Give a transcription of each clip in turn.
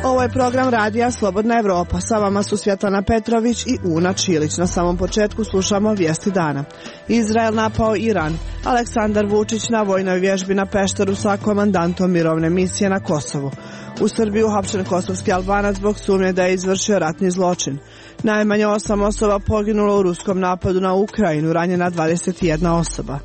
Ovo je program radija Slobodna Evropa. Sa vama su Svjetlana Petrović i Una Čilić. Na samom početku slušamo vijesti dana. Izrael napao Iran. Aleksandar Vučić na vojnoj vježbi na Pešteru sa komandantom mirovne misije na Kosovu. U Srbiji uhapšen kosovski Albanac zbog sumnje da je izvršio ratni zločin. Najmanje 8 osoba poginulo u ruskom napadu na Ukrajinu, ranjena 21 osoba.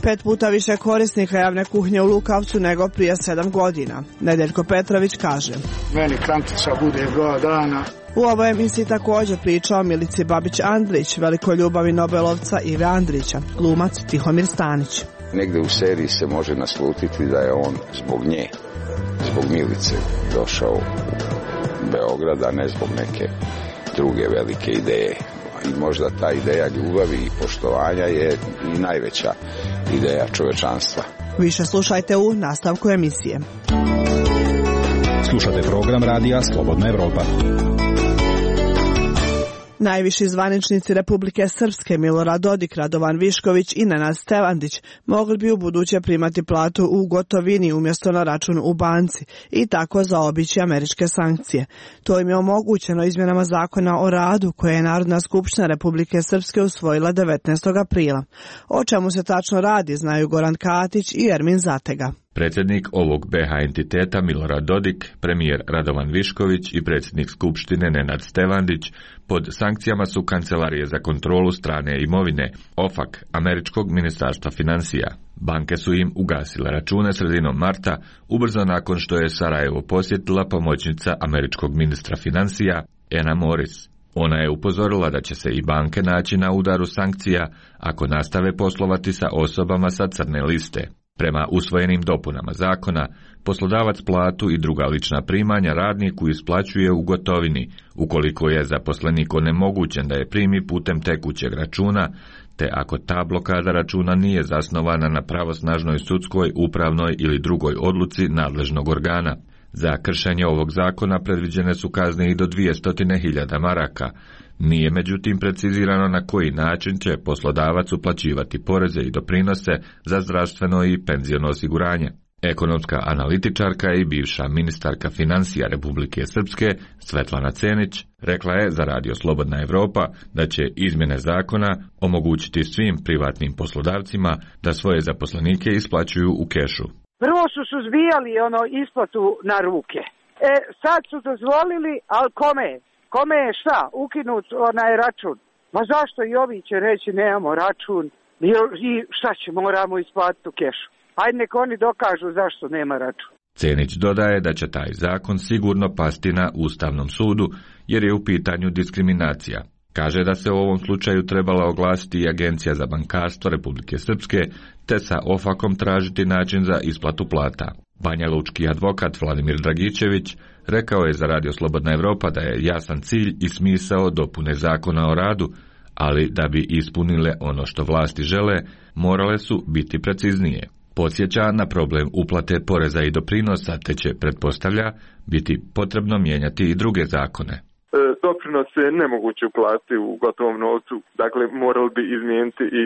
5 puta više korisnika javne kuhinje u Lukavcu nego prije 7 godina. Nedeljko Petrović kaže: Meni kantica bude 2 dana. U ovoj emisiji također priča o Milici Babić-Andrić, velikoj ljubavi Nobelovca Ive Andrića, glumac Tihomir Stanić. Negde u seriji se može naslutiti da je on zbog nje, zbog Milice, došao u Beograd, a ne zbog neke druge velike ideje. I možda ta ideja ljubavi i poštovanja je i najveća ideja čovečanstva. Više slušajte u nastavku emisije. Slušate program radija Slobodna Evropa. Najviši zvaničnici Republike Srpske Milorad Dodik, Radovan Višković i Nenad Stevandić mogli bi u buduće primati platu u gotovini umjesto na račun u banci i tako zaobići američke sankcije. To im je omogućeno izmjenama zakona o radu koje je Narodna skupština Republike Srpske usvojila 19. aprila. O čemu se tačno radi znaju Goran Katić i Ermin Zatega. Predsjednik ovog BH entiteta Milorad Dodik, premijer Radovan Višković i predsjednik Skupštine Nenad Stevandić pod sankcijama su Kancelarije za kontrolu strane imovine, OFAC, američkog ministarstva financija. Banke su im ugasile račune sredinom marta, ubrzo nakon što je Sarajevo posjetila pomoćnica američkog ministra financija Anna Morris. Ona je upozorila da će se i banke naći na udaru sankcija ako nastave poslovati sa osobama sa crne liste. Prema usvojenim dopunama zakona, poslodavac platu i druga lična primanja radniku isplaćuje u gotovini, ukoliko je zaposlenik onemogućen da je primi putem tekućeg računa, te ako ta blokada računa nije zasnovana na pravosnažnoj sudskoj, upravnoj ili drugoj odluci nadležnog organa. Za kršenje ovog zakona predviđene su kazne i do 200.000 maraka. Nije međutim precizirano na koji način će poslodavac uplaćivati poreze i doprinose za zdravstveno i penziono osiguranje. Ekonomska analitičarka i bivša ministarka financija Republike Srpske Svetlana Cenić rekla je za Radio Slobodna Evropa da će izmjene zakona omogućiti svim privatnim poslodavcima da svoje zaposlenike isplaćuju u kešu. Prvo su suzbijali isplatu na ruke. Sad su dozvolili, ali kome? Kome je šta? Ukinut račun. Ma zašto i ovi će reći nemamo račun i šta će, moramo isplatiti u kešu. Ajde nek oni dokažu zašto nema račun. Cenić dodaje da će taj zakon sigurno pasti na Ustavnom sudu jer je u pitanju diskriminacija. Kaže da se u ovom slučaju trebala oglasiti i Agencija za bankarstvo Republike Srpske te sa OFAC-om tražiti način za isplatu plata. Banjalučki advokat Vladimir Dragičević rekao je za Radio Slobodna Evropa da je jasan cilj i smisao dopune zakona o radu, ali da bi ispunile ono što vlasti žele, morale su biti preciznije. Podsjeća na problem uplate poreza i doprinosa, te će, pretpostavlja, biti potrebno mijenjati i druge zakone. Doprinos je nemoguće uplatiti u gotovom novcu, dakle morali bi izmijeniti i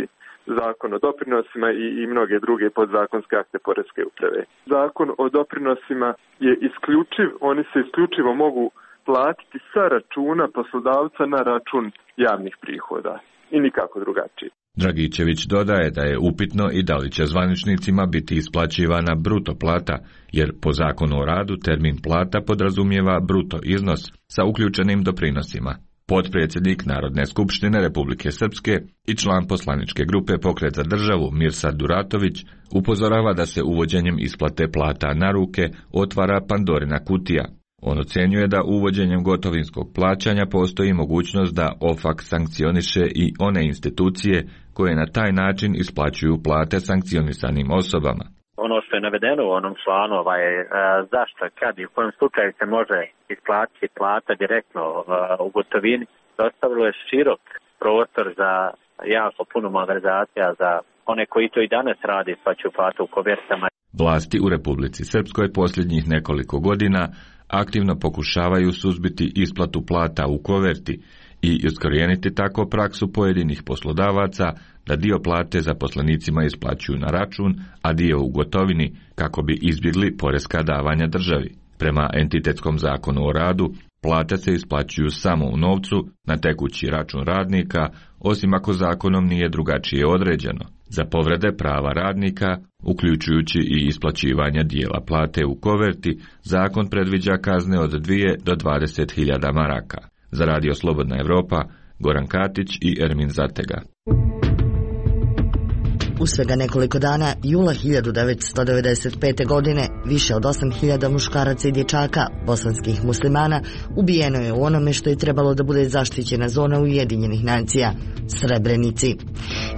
zakon o doprinosima i mnoge druge podzakonske akte poreske uprave. Zakon o doprinosima je isključiv, oni se isključivo mogu platiti sa računa poslodavca na račun javnih prihoda i nikako drugačije. Dragičević dodaje da je upitno i da li će zvaničnicima biti isplaćivana bruto plata, jer po zakonu o radu termin plata podrazumijeva bruto iznos sa uključenim doprinosima. Potpredsjednik Narodne skupštine Republike Srpske i član poslaničke grupe Pokret za državu Mirsad Duratović upozorava da se uvođenjem isplate plata na ruke otvara Pandorina kutija. On ocjenjuje da uvođenjem gotovinskog plaćanja postoji mogućnost da OFAC sankcioniše i one institucije koje na taj način isplaćuju plate sankcionisanim osobama. Ono što je navedeno u onom članu zašto, kad i u kojem slučaju se može isplatiti plata direktno u gotovini, ostavilo je širok prostor za jako puno malverzacija za one koji to i danas rade, isplaćuju platu u kovertama. Vlasti u Republici Srpskoj posljednjih nekoliko godina aktivno pokušavaju suzbiti isplatu plata u koverti i iskorijeniti tako praksu pojedinih poslodavaca da dio plate zaposlenicima isplaćuju na račun, a dio u gotovini kako bi izbjegli poreska davanja državi. Prema entitetskom zakonu o radu, plate se isplaćuju samo u novcu na tekući račun radnika, osim ako zakonom nije drugačije određeno. Za povrede prava radnika, uključujući i isplaćivanje dijela plate u koverti, zakon predviđa kazne od 2 do 20.000 maraka. Za Radio Slobodna Evropa, Goran Katić i Ermin Zatega. U svega nekoliko dana, jula 1995. godine, više od 8.000 muškaraca i dječaka, bosanskih muslimana, ubijeno je u onome što je trebalo da bude zaštićena zona Ujedinjenih nacija, Srebrenici.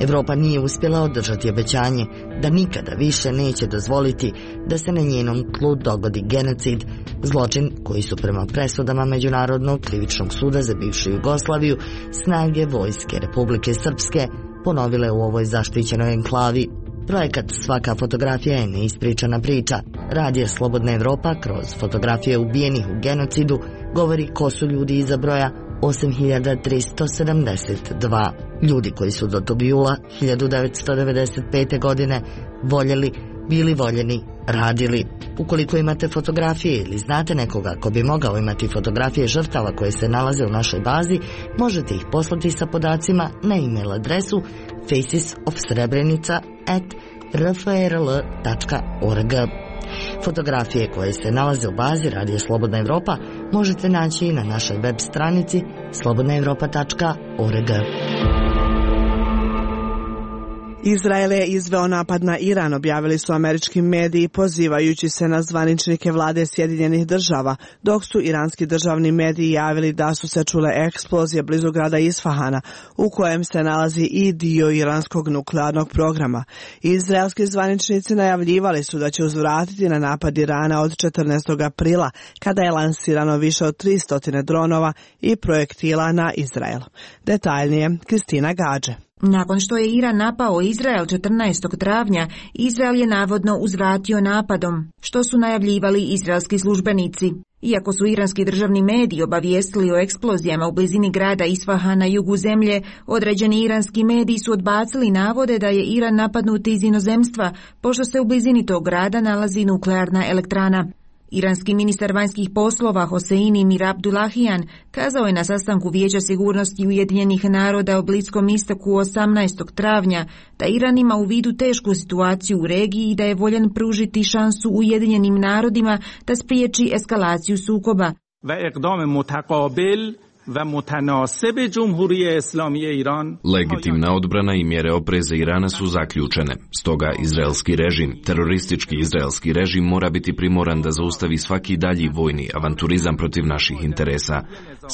Evropa nije uspjela održati obećanje da nikada više neće dozvoliti da se na njenom tlu dogodi genocid, zločin koji su prema presudama Međunarodnog krivičnog suda za bivšu Jugoslaviju snage vojske Republike Srpske ponovile u ovoj zaštićenoj enklavi. Projekat Svaka fotografija je neispričana priča. Radio Slobodna Evropa kroz fotografije ubijenih u genocidu govori ko su ljudi iza broja 8372. Ljudi koji su do tog jula 1995. godine voljeli, bili voljeni, radili. Ukoliko imate fotografije ili znate nekoga ko bi mogao imati fotografije žrtava koje se nalaze u našoj bazi, možete ih poslati sa podacima na e-mail adresu facesofsrebrenica@rfrl.org. Fotografije koje se nalaze u bazi Radio Slobodna Evropa možete naći i na našoj web stranici slobodnaevropa.org. Izrael je izveo napad na Iran, objavili su američki mediji pozivajući se na zvaničnike vlade Sjedinjenih država, dok su iranski državni mediji javili da su se čule eksplozije blizu grada Isfahana, u kojem se nalazi i dio iranskog nuklearnog programa. Izraelski zvaničnici najavljivali su da će uzvratiti na napad Irana od 14. aprila, kada je lansirano više od 300 dronova i projektila na Izrael. Detaljnije, Kristina Gađe. Nakon što je Iran napao Izrael 14. travnja, Izrael je navodno uzvratio napadom, što su najavljivali izraelski službenici. Iako su iranski državni mediji obavijestili o eksplozijama u blizini grada Isfahan na jugu zemlje, određeni iranski mediji su odbacili navode da je Iran napadnut iz inozemstva, pošto se u blizini tog grada nalazi nuklearna elektrana. Iranski ministar vanjskih poslova Hoseini Mir Abdullahian kazao je na sastanku Vijeća sigurnosti Ujedinjenih naroda o Bliskom istoku 18. travnja da Iran ima u vidu tešku situaciju u regiji i da je voljan pružiti šansu Ujedinjenim narodima da spriječi eskalaciju sukoba. Legitimna odbrana i mjere opreza Irana su zaključene. Stoga izraelski režim, teroristički izraelski režim, mora biti primoran da zaustavi svaki dalji vojni avanturizam protiv naših interesa.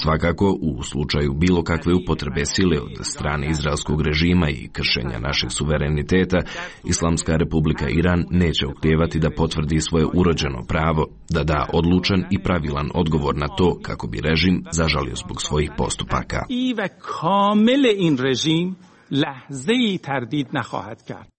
Svakako, u slučaju bilo kakve upotrebe sile od strane izraelskog režima i kršenja našeg suvereniteta, Islamska republika Iran neće oklijevati da potvrdi svoje urođeno pravo, da da odlučan i pravilan odgovor na to kako bi režim zažalio zbog svojih postupaka.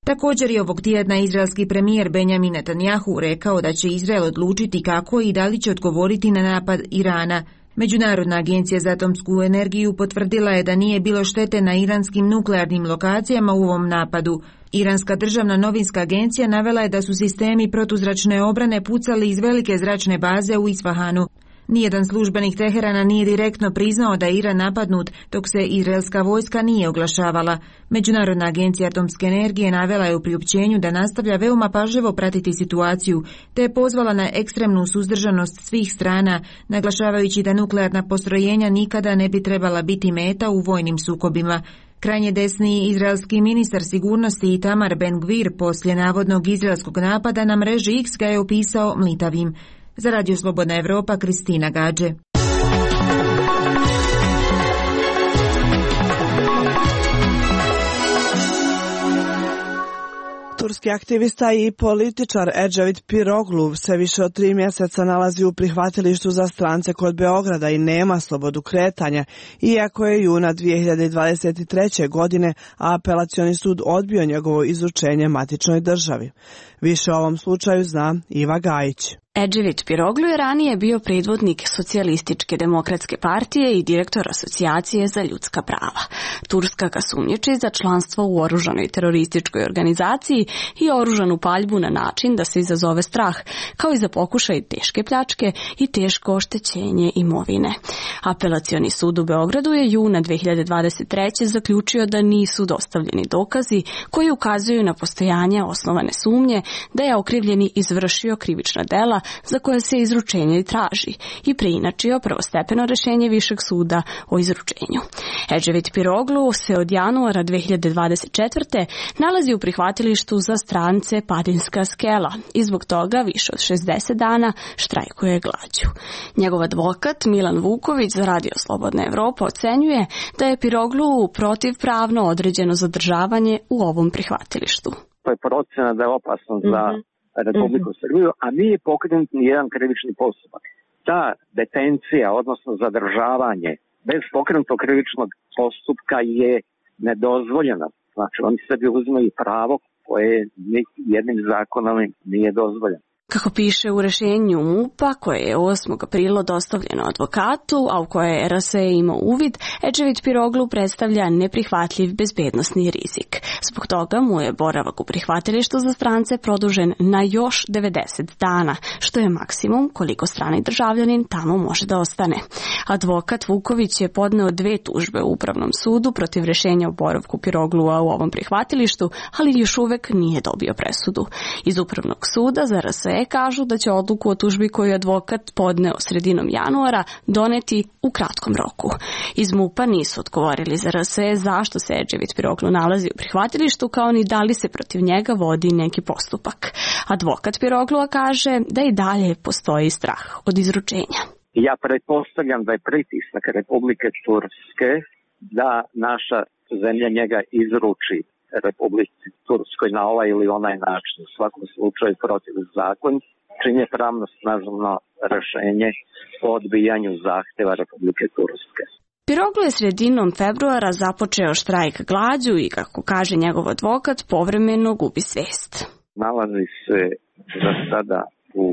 Također je ovog tjedna izraelski premijer Benjamin Netanjahu rekao da će Izrael odlučiti kako i da li će odgovoriti na napad Irana. Međunarodna agencija za atomsku energiju potvrdila je da nije bilo štete na iranskim nuklearnim lokacijama u ovom napadu. Iranska državna novinska agencija navela je da su sistemi protuzračne obrane pucali iz velike zračne baze u Isfahanu. Nijedan službenik Teherana nije direktno priznao da je Iran napadnut, dok se izraelska vojska nije oglašavala. Međunarodna agencija atomske energije navela je u priopćenju da nastavlja veoma pažljivo pratiti situaciju, te je pozvala na ekstremnu suzdržanost svih strana, naglašavajući da nuklearna postrojenja nikada ne bi trebala biti meta u vojnim sukobima. Krajnje desni izraelski ministar sigurnosti Itamar Ben-Gvir poslije navodnog izraelskog napada na mreži X ga je opisao mlitavim. Za Radio Slobodna Evropa, Kristina Gađe. Turski aktivista i političar Ecevit Piroglu se više od 3 mjeseca nalazi u prihvatilištu za strance kod Beograda i nema slobodu kretanja, iako je juna 2023. godine apelacioni sud odbio njegovo izručenje matičnoj državi. Više o ovom slučaju zna Iva Gajić. Ecevit Piroglu je ranije bio predvodnik Socijalističke demokratske partije i direktor Asocijacije za ljudska prava. Turska ga sumnjiči za članstvo u oružanoj terorističkoj organizaciji i oružanu paljbu na način da se izazove strah, kao i za pokušaj teške pljačke i teško oštećenje imovine. Apelacioni sud u Beogradu je juna 2023. zaključio da nisu dostavljeni dokazi koji ukazuju na postojanje osnovane sumnje da je okrivljeni izvršio krivična dela za koje se izručenje traži i preinačio prvostepeno rešenje Višeg suda o izručenju. Ecevit Piroglu se od januara 2024. nalazi u prihvatilištu za strance Padinska skela i zbog toga više od 60 dana štrajkuje glađu. Njegov advokat Milan Vuković za Radio Slobodna Evropa ocenjuje da je Piroglu protivpravno određeno zadržavanje u ovom prihvatilištu. To je procena da je opasno za Republiku Srbiju, a nije pokrenut ni jedan krivični postupak. Ta detencija, odnosno zadržavanje bez pokrenutog krivičnog postupka je nedozvoljena. Znači, oni sebi uzimaju pravo koje jednim zakonom nije dozvoljeno. Kako piše u rešenju MUP-a, koje je 8. aprila dostavljeno advokatu, a u koje je RSE imao uvid, Ecevit Piroglu predstavlja neprihvatljiv bezbednosni rizik. Zbog toga mu je boravak u prihvatilištu za strance produžen na još 90 dana, što je maksimum koliko strani državljanin tamo može da ostane. Advokat Vuković je podneo 2 tužbe u Upravnom sudu protiv rešenja o boravku Piroglua u ovom prihvatilištu, ali još uvek nije dobio presudu. Iz Upravnog suda za RSE kažu da će odluku o tužbi koju je advokat podneo sredinom januara doneti u kratkom roku. Iz MUP-a nisu odgovorili za RSE zašto se Ecevit Piroglu nalazi u prihvatilištu, kao ni da li se protiv njega vodi neki postupak. Advokat Piroglua kaže da i dalje postoji strah od izručenja. Ja pretpostavljam da je pritisak Republike Turske da naša zemlja njega izruči Republici Turskoj na ovaj ili onaj način, u svakom slučaju protiv zakon, čini pravno snažno rešenje o odbijanju zahteva Republike Turske. Piroglu je sredinom februara započeo štrajk glađu i, kako kaže njegov advokat, povremeno gubi svest. Nalazi se za sada u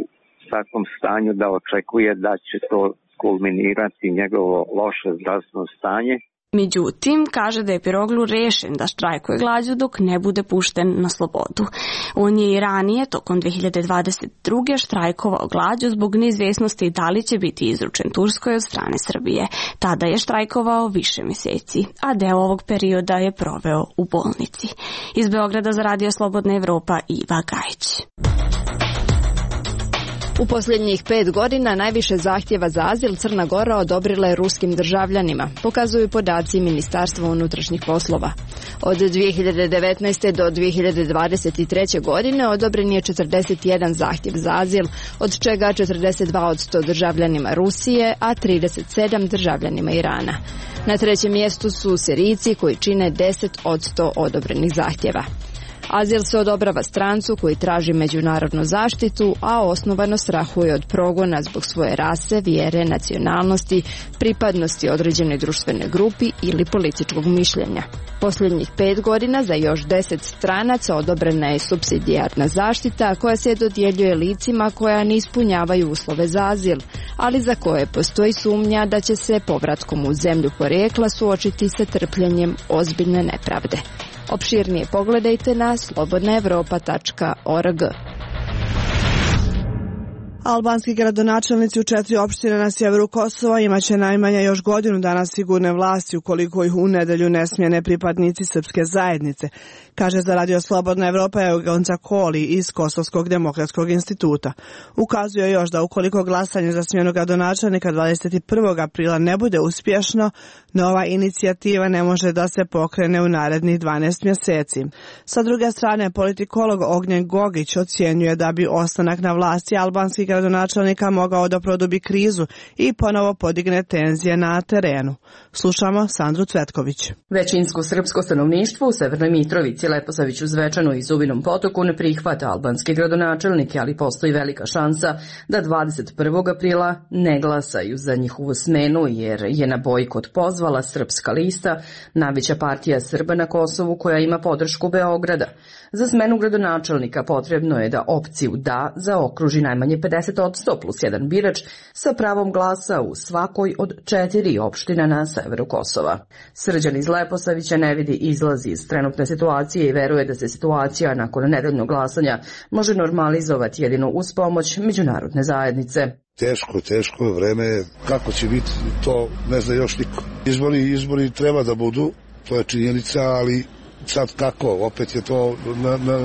takvom stanju da očekuje da će to kulminirati njegovo loše zdravstveno stanje. Međutim, kaže da je Piroglu rešen da štrajkuje glađu dok ne bude pušten na slobodu. On je i ranije, tokom 2022. štrajkovao glađu zbog neizvesnosti da li će biti izručen Turskoj od strane Srbije. Tada je štrajkovao više mjeseci, a deo ovog perioda je proveo u bolnici. Iz Beograda za Radio Slobodna Evropa, Iva Gajić. U posljednjih 5 godina najviše zahtjeva za azil Crna Gora odobrila je ruskim državljanima, pokazuju podaci Ministarstva unutrašnjih poslova. Od 2019. do 2023. godine odobren je 41 zahtjev za azil, od čega 42% državljanima Rusije, a 37 državljanima Irana. Na trećem mjestu su Sirijci koji čine 10% odobrenih zahtjeva. Azil se odobrava strancu koji traži međunarodnu zaštitu, a osnovano strahuje od progona zbog svoje rase, vjere, nacionalnosti, pripadnosti određenoj društvenoj grupi ili političkog mišljenja. Posljednjih 5 godina za još 10 stranaca odobrena je supsidijarna zaštita koja se dodjeljuje licima koja ne ispunjavaju uslove za azil, ali za koje postoji sumnja da će se povratkom u zemlju porijekla suočiti sa trpljenjem ozbiljne nepravde. Opširnije pogledajte na slobodnaevropa.org. Albanski gradonačelnici u 4 opštine na sjeveru Kosova imaće najmanje još godinu dana sigurne vlasti ukoliko ih u nedelju ne smjene pripadnici srpske zajednice, kaže za Radio Slobodna Evropa Eugenca Koli iz Kosovskog demokratskog instituta. Ukazuje još da ukoliko glasanje za smjenu gradonačelnika 21. aprila ne bude uspješno, nova inicijativa ne može da se pokrene u narednih 12 mjeseci. Sa druge strane, politikolog Ognjen Gogić ocjenjuje da bi ostanak na vlasti albanskih gradonačelnika mogao da produbi krizu i ponovo podigne tenzije na terenu. Slušamo Sandru Cvetković. Većinsko srpsko stanovništvo u Severnoj Mitrovici, Leposaviću, Zvečanu i Zubinom Potoku ne prihvata albanske gradonačelnike, ali postoji velika šansa da 21. aprila ne glasaju za njihovu smenu jer je na bojkot pozvao pozvala Srpska lista, najveća partija Srba na Kosovu koja ima podršku Beograda. Za smenu gradonačelnika potrebno je da opciju da zaokruži najmanje 50% plus jedan birač sa pravom glasa u svakoj od 4 opština na severu Kosova. Srđan iz Leposavića ne vidi izlaz iz trenutne situacije i veruje da se situacija nakon nedeljnog glasanja može normalizovati jedino uz pomoć međunarodne zajednice. Teško vreme, kako će biti, to ne zna još niko. Izbori treba da budu, to je činjenica, ali sad kako, opet je to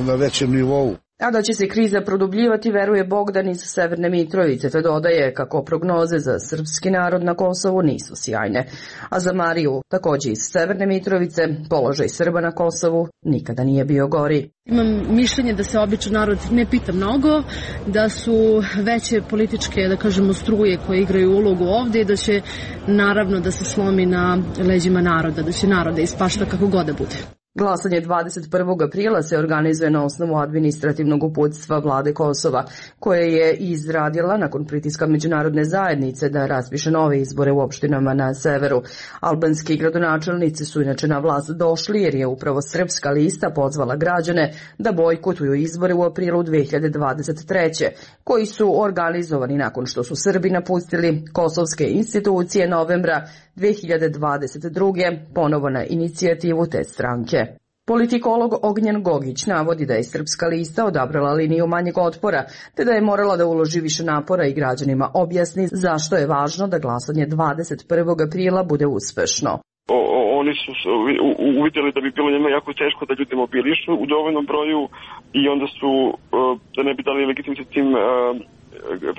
na većem nivou. A da će se kriza produbljivati, veruje Bogdan iz Severne Mitrovice, te dodaje kako prognoze za srpski narod na Kosovu nisu sjajne. A za Mariju, takođe iz Severne Mitrovice, položaj Srba na Kosovu nikada nije bio gori. Imam mišljenje da se običan narod ne pita mnogo, da su veće političke, da kažemo, struje koje igraju ulogu ovde i da će naravno da se slomi na leđima naroda, da će naroda ispašta kako god da bude. Glasanje 21. aprila se organizuje na osnovu administrativnog uputstva vlade Kosova, koje je izradila nakon pritiska međunarodne zajednice da raspiše nove izbore u opštinama na severu. Albanski gradonačelnici su inače na vlast došli jer je upravo Srpska lista pozvala građane da bojkotuju izbore u aprilu 2023. koji su organizovani nakon što su Srbi napustili kosovske institucije novembra 2022. ponovo na inicijativu te stranke. Politikolog Ognjen Gogić navodi da je Srpska lista odabrala liniju manjeg otpora, te da je morala da uloži više napora i građanima objasni zašto je važno da glasanje 21. aprila bude uspešno. Oni su uvidjeli da bi bilo njima jako teško da ljudi mobilišu u dovoljnom broju i onda su, da ne bi dali legitimitet tim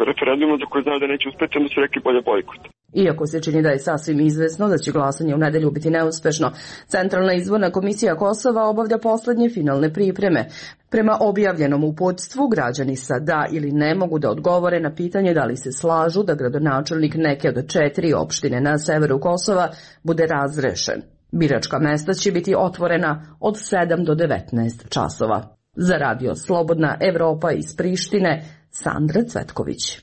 referendumom za koje znaju da neće uspeti, onda su rekli bolje bojkot. Iako se čini da je sasvim izvesno da će glasanje u nedelju biti neuspešno, Centralna izborna komisija Kosova obavlja poslednje finalne pripreme. Prema objavljenom uputstvu, građani sa da ili ne mogu da odgovore na pitanje da li se slažu da gradonačelnik neke od 4 opštine na severu Kosova bude razrešen. Biračka mesta će biti otvorena od 7 do 19 časova. Za radio Slobodna Evropa iz Prištine, Sandra Cvetković.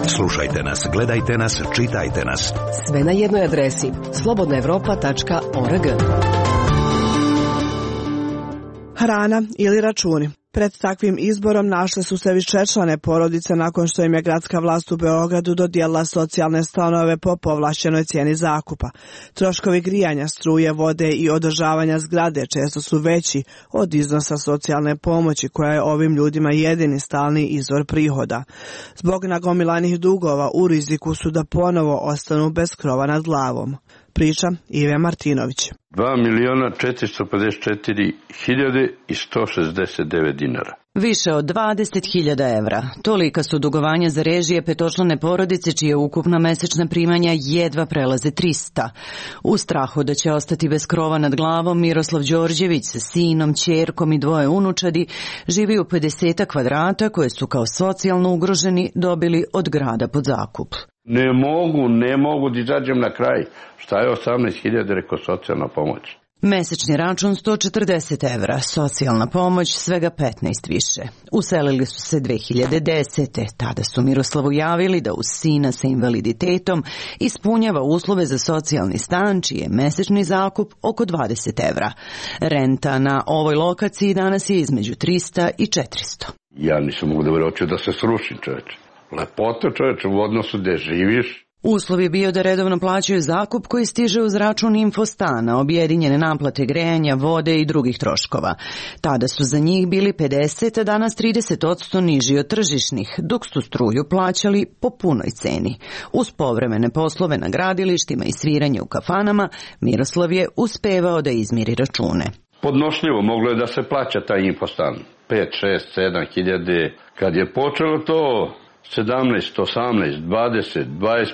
Slušajte nas, gledajte nas, čitajte nas. Sve na jednoj adresi slobodnaevropa.org. Hrana ili računi. Pred takvim izborom našle su se višečlane porodice nakon što im je gradska vlast u Beogradu dodijelila socijalne stanove po povlašćenoj cijeni zakupa. Troškovi grijanja, struje, vode i održavanja zgrade često su veći od iznosa socijalne pomoći koja je ovim ljudima jedini stalni izvor prihoda. Zbog nagomilanih dugova u riziku su da ponovo ostanu bez krova nad glavom. Priča Ive Martinović. 2.044.169 dinara. Više od 20.000 evra. Tolika su dugovanja za režije petočlane porodice čije ukupna mesečna primanja jedva prelaze 300. U strahu da će ostati bez krova nad glavom, Miroslav Đorđević sa sinom, ćerkom i 2 unučadi živi u 50 kvadrata koje su kao socijalno ugroženi dobili od grada pod zakup. Ne mogu da izađem na kraj. Šta je 18.000 rekao socijalna pomoć? Mesečni račun 140 evra, socijalna pomoć svega 15 više. Uselili su se 2010. Tada su Miroslavu javili da uz sina sa invaliditetom ispunjava uslove za socijalni stan, čiji je mesečni zakup oko 20 evra. Renta na ovoj lokaciji danas je između 300 i 400. Ja nisam mogu da verujem da se srušim, čoveče. Lepota, čoveče, u odnosu gde živiš. Uslov je bio da redovno plaćaju zakup koji stiže uz račun infostana, objedinjene naplate grejanja, vode i drugih troškova. Tada su za njih bili 50, a danas 30% niži od tržišnih, dok su struju plaćali po punoj ceni. Uz povremene poslove na gradilištima i sviranje u kafanama, Miroslav je uspevao da izmiri račune. Podnošljivo moglo je da se plaća taj infostan. 5, 6, 7 hiljade. Kad je počelo to 17, 18, 20, 25,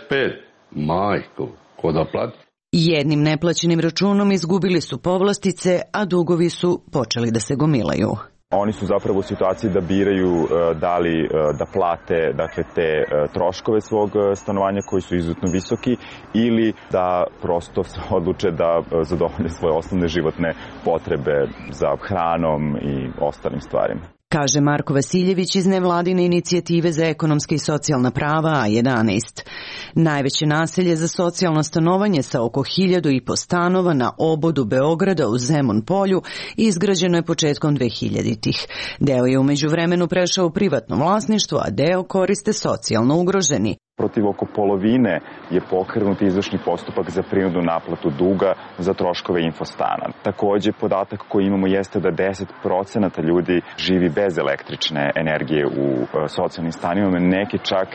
majko, ko da plati? Jednim neplaćenim računom izgubili su povlastice, a dugovi su počeli da se gomilaju. Oni su zapravo u situaciji da biraju da li da plate dakle, te troškove svog stanovanja koji su izuzetno visoki ili da prosto se odluče da zadovolje svoje osnovne životne potrebe za hranom i ostalim stvarima. kaže Marko Vasiljević iz nevladine inicijative za ekonomske i socijalna prava A11. Najveće naselje za socijalno stanovanje sa oko 1.500 stanova na obodu Beograda u Zemun polju izgrađeno je početkom 2000-ih. Deo je u međuvremenu prešao u privatno vlasništvo, a deo koriste socijalno ugroženi. Protiv oko polovine je pokrenut izvršni postupak za prinudnu naplatu duga za troškove infostana. Također, podatak koji imamo jeste da 10% ljudi živi bez električne energije u socijalnim stanovima, neki čak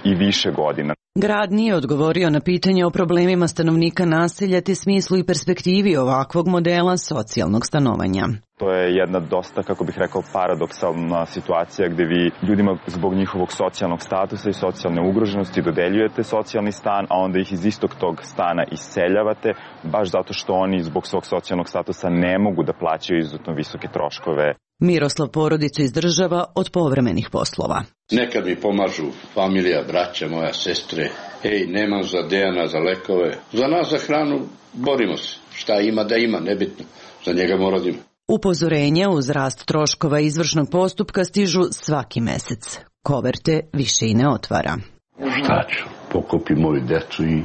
i više godina. Grad nije odgovorio na pitanje o problemima stanovnika naselja te smislu i perspektivi ovakvog modela socijalnog stanovanja. To je jedna dosta, kako bih rekao, paradoksalna situacija gdje vi ljudima zbog njihovog socijalnog statusa i socijalne ugroženosti dodeljujete socijalni stan, a onda ih iz istog tog stana iseljavate, baš zato što oni zbog svog socijalnog statusa ne mogu da plaćaju izuzetno visoke troškove. Miroslav porodicu izdržava od povremenih poslova. Nekad mi pomažu familija, braća, moja sestre. Hej, nemam za Dejana, za lekove. Za nas, za hranu, borimo se. Šta ima da ima, nebitno. Za njega moradimo. Upozorenja uz rast troškova izvršnog postupka stižu svaki mesec. Koverte više i ne otvara. Šta ću? Pokupim moju decu i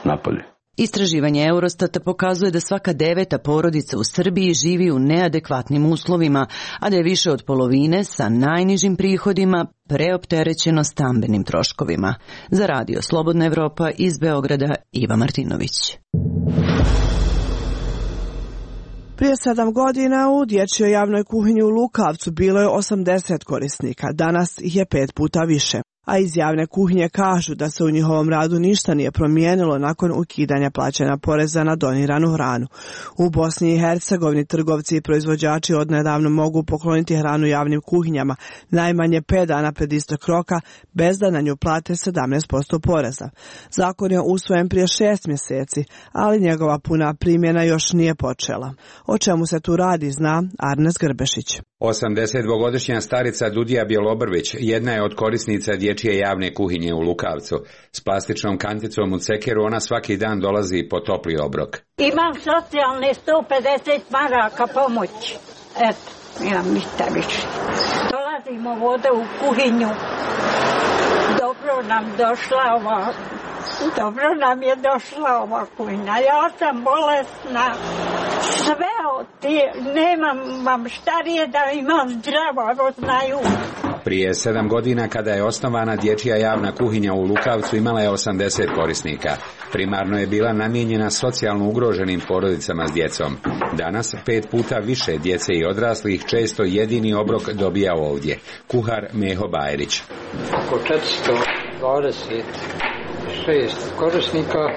napolje. Istraživanje Eurostata pokazuje da svaka 9. porodica u Srbiji živi u neadekvatnim uslovima, a da je više od polovine sa najnižim prihodima preopterećeno stambenim troškovima. Za radio Slobodna Evropa iz Beograda, Iva Martinović. Prije 7 godina u dječjoj javnoj kuhinji u Lukavcu bilo je 80 korisnika, danas ih je 5 puta više. A iz javne kuhinje kažu da se u njihovom radu ništa nije promijenilo nakon ukidanja plaćanja poreza na doniranu hranu. U Bosni i Hercegovini trgovci i proizvođači odnedavno mogu pokloniti hranu javnim kuhinjama najmanje 5 dana pred istek roka bez da na nju plate 17% poreza. Zakon je usvojen prije 6 mjeseci, ali njegova puna primjena još nije počela. O čemu se tu radi zna Arnes Grbešić. 82-godišnja starica Dudija Bjelobrvić jedna je od korisnica dječje javne kuhinje u Lukavcu. S plastičnom kanticom u cekeru ona svaki dan dolazi po topli obrok. Imam socijalne 150 maraka pomoći. Eto, imam ništa više. Dolazimo vode u kuhinju. Dobro nam je došla ova kuhinja. Ja sam bolesna. Sve nemam vam štarije da imam zdravo, evo znaju. Prije 7 godina kada je osnovana dječja javna kuhinja u Lukavcu imala je 80 korisnika. Primarno je bila namijenjena socijalno ugroženim porodicama s djecom. Danas 5 puta više djece i odraslih često jedini obrok dobija ovdje. Kuhar Meho Bajrić. Oko 426 korisnika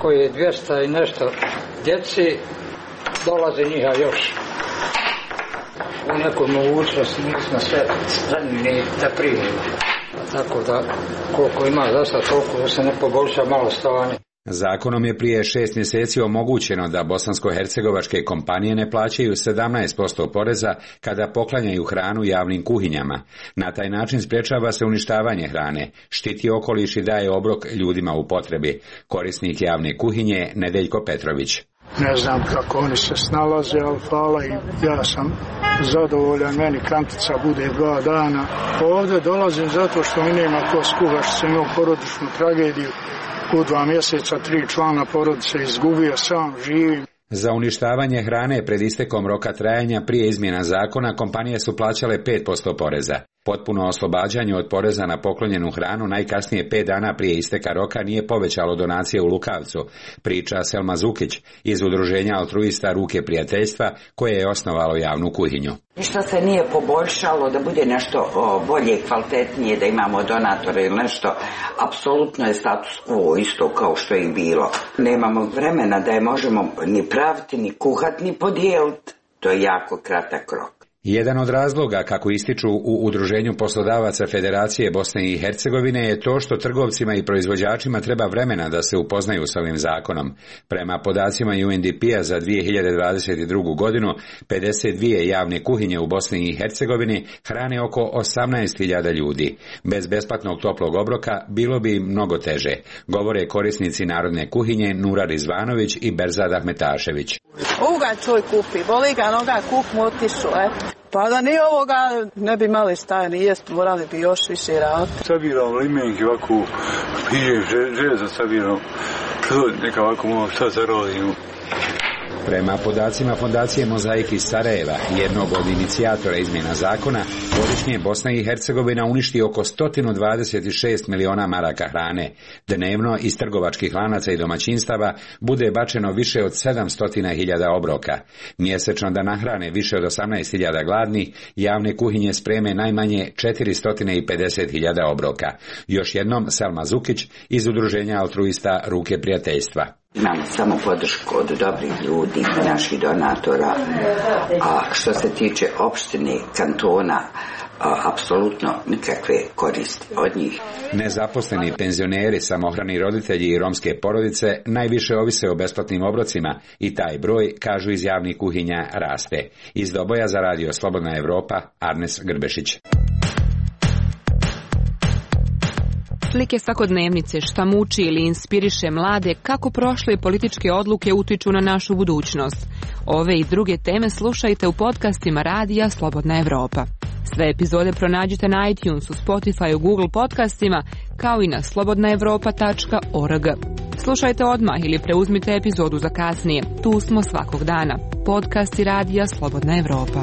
koji je 200 i nešto djeci, dolaze njiha još. U nekoj mogućnosti nismo sve zanimni da primimo. Tako da koliko ima zasta toliko da se ne poboljša malo stanje. Zakonom je prije 6 mjeseci omogućeno da bosansko-hercegovačke kompanije ne plaćaju 17% poreza kada poklanjaju hranu javnim kuhinjama. Na taj način sprječava se uništavanje hrane, štiti okoliš i daje obrok ljudima u potrebi. Korisnik javne kuhinje Nedeljko Petrović. Ne znam kako oni se snalaze, ali hvala i ja sam zadovoljan, meni kantica bude 2 dana. Ovdje dolazim zato što mi nema ko skuha, što sam imao porodičnu tragediju. U 2 mjeseca 3 člana porodice izgubio, sam živim. Za uništavanje hrane pred istekom roka trajanja prije izmjena zakona kompanije su plaćale 5% poreza. Potpuno oslobađanje od poreza na poklonjenu hranu najkasnije 5 dana prije isteka roka nije povećalo donacije u Lukavcu, priča Selma Zukić iz udruženja altruista Ruke prijateljstva koje je osnovalo javnu kuhinju. Ništa se nije poboljšalo da bude nešto bolje, kvalitetnije, da imamo donatore ili nešto. Apsolutno je status quo isto kao što je i bilo. Nemamo vremena da je možemo ni praviti, ni kuhati, ni podijeliti. To je jako kratak rok. Jedan od razloga, kako ističu u Udruženju poslodavaca Federacije Bosne i Hercegovine, je to što trgovcima i proizvođačima treba vremena da se upoznaju s ovim zakonom. Prema podacima UNDP-a za 2022. godinu, 52 javne kuhinje u Bosni i Hercegovini hrane oko 18.000 ljudi. Bez besplatnog toplog obroka bilo bi mnogo teže, govore korisnici narodne kuhinje Nura Rizvanović i Berzad Ahmetašević. Ovoga čoj kupi, boli ga noga, kup mu otišu, Pa da nije ovoga, ne bi imali šta ni jest, morali bi još više raditi. Sabiram limenke ovako, pije, železa sabiram, neka ovako malo šta zarodimo. Prema podacima Fondacije Mozaik iz Sarajeva, jednog od inicijatora izmjena zakona, godišnje Bosna i Hercegovina uništi oko 126 miliona maraka hrane. Dnevno iz trgovačkih lanaca i domaćinstava bude bačeno više od 700.000 obroka. Mjesečno da nahrane više od 18.000 gladnih, javne kuhinje spreme najmanje 450.000 obroka. Još jednom Selma Zukić iz udruženja altruista Ruke prijateljstva. Imamo samo podršku od dobrih ljudi, naših donatora, a što se tiče opštine, kantona, apsolutno nikakve koristi od njih. Nezaposleni penzioneri, samohrani roditelji i romske porodice najviše ovise o besplatnim obrocima i taj broj, kažu iz javnih kuhinja, raste. Iz Doboja za radio Slobodna Evropa, Arnes Grbešić. Slike svakodnevnice, šta muči ili inspiriše mlade, kako prošle političke odluke utiču na našu budućnost. Ove i druge teme slušajte u podcastima radija Slobodna Evropa. Sve epizode pronađite na iTunesu, Spotifyu, Google podcastima, kao i na slobodnaevropa.org. Slušajte odmah ili preuzmite epizodu za kasnije. Tu smo svakog dana. Podcasti radija Slobodna Evropa.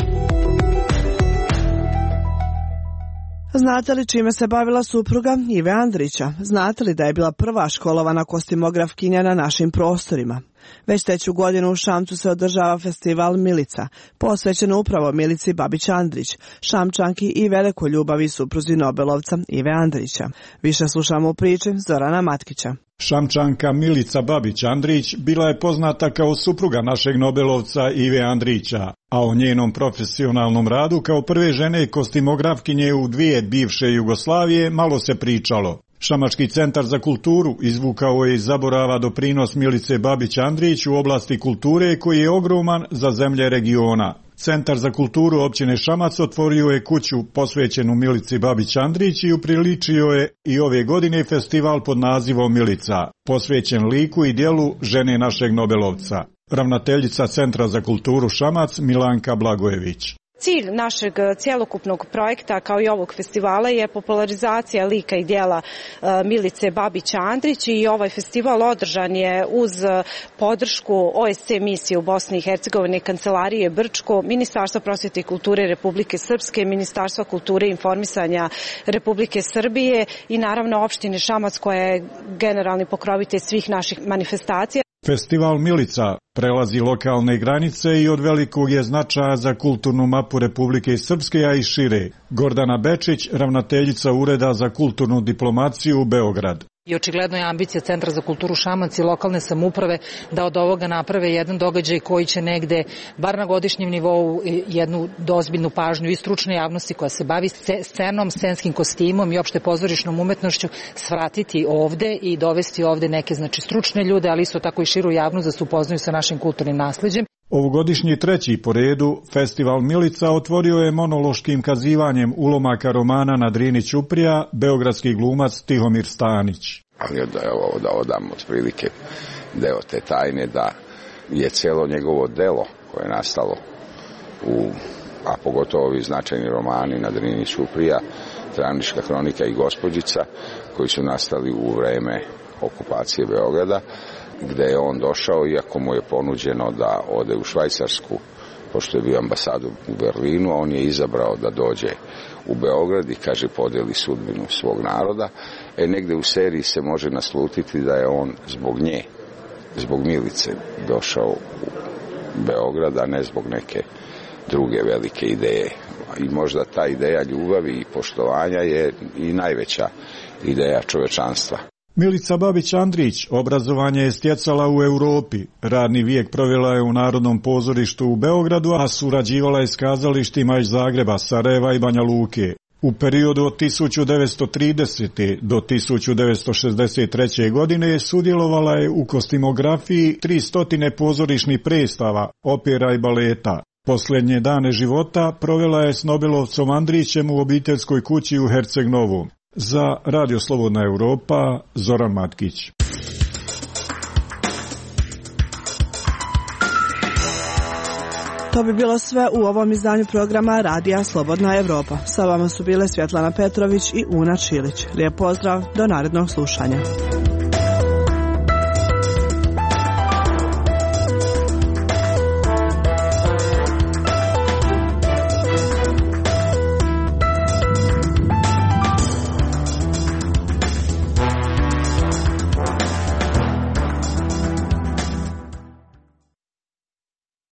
Znate li čime se bavila supruga Ive Andrića? Znate li da je bila prva školovana kostimografkinja na našim prostorima? Već treću godinu u Šamcu se održava festival Milica, posvećen upravo Milici Babić-Andrić, Šamčanki i velikoj ljubavi supruzi Nobelovca Ive Andrića. Više slušamo u priči Zorana Matkića. Šamčanka Milica Babić-Andrić bila je poznata kao supruga našeg Nobelovca Ive Andrića, a o njenom profesionalnom radu kao prve žene kostimografkinje u dvije bivše Jugoslavije malo se pričalo. Šamački centar za kulturu izvukao je iz zaborava doprinos Milice Babić-Andrić u oblasti kulture koji je ogroman za zemlje regiona. Centar za kulturu općine Šamac otvorio je kuću posvećenu Milici Babić-Andrić i upriličio je i ove godine festival pod nazivom Milica, posvećen liku i djelu žene našeg Nobelovca. Ravnateljica Centra za kulturu Šamac Milanka Blagojević. Cilj našeg cjelokupnog projekta kao i ovog festivala je popularizacija lika i djela Milice Babić-Andrić i ovaj festival održan je uz podršku OSC misije u Bosni i Hercegovini, Kancelarije Brčko, Ministarstva prosvjete i kulture Republike Srpske, Ministarstva kulture i informisanja Republike Srbije i naravno opštine Šamac koja je generalni pokrovitelj svih naših manifestacija. Festival Milica prelazi lokalne granice i od velikog je značaja za kulturnu mapu Republike Srpske, a i šire. Gordana Bečić, ravnateljica Ureda za kulturnu diplomaciju u Beograd. I očigledno je ambicija Centra za kulturu Šamac i lokalne samouprave da od ovoga naprave jedan događaj koji će negde, bar na godišnjem nivou, jednu dozbiljnu pažnju i stručne javnosti koja se bavi scenom, scenskim kostimom i opšte pozorišnom umetnošću svratiti ovde i dovesti ovde neke stručne ljude, ali isto tako i širu javnost da se upoznaju sa našim kulturnim nasleđem. Ovogodišnji treći po redu festival Milica otvorio je monološkim kazivanjem ulomaka romana na Drini Ćuprija beogradski glumac Tihomir Stanić. Ali da odam otprilike deo te tajne da je cijelo njegovo delo koje je nastalo a pogotovo ovi značajni romani na Drini Ćuprija, Travnička kronika i Gospođica koji su nastali u vreme okupacije Beograda, gde je on došao, iako mu je ponuđeno da ode u Švajcarsku, pošto je bio ambasador u Berlinu, on je izabrao da dođe u Beograd i, kaže, podijeli sudbinu svog naroda. Negde u seriji se može naslutiti da je on zbog nje, zbog Milice, došao u Beograd, a ne zbog neke druge velike ideje. I možda ta ideja ljubavi i poštovanja je i najveća ideja čovečanstva. Milica Babić-Andrić obrazovanje je stjecala u Europi. Radni vijek provela je u Narodnom pozorištu u Beogradu, a surađivala je s kazalištima iz Zagreba, Sarajeva i Banja Luke. U periodu od 1930. do 1963. godine sudjelovala je u kostimografiji 300 pozorišnih predstava, opera i baleta. Posljednje dane života provela je s Nobelovcom Andrićem u obiteljskoj kući u Herceg-Novom. Za Radio Slobodna Evropa, Zoran Matkić. To bi bilo sve u ovom izdanju programa Radija Slobodna Evropa. Sa vama su bile Svjetlana Petrović i Una Čilić. Lijep pozdrav, do narednog slušanja.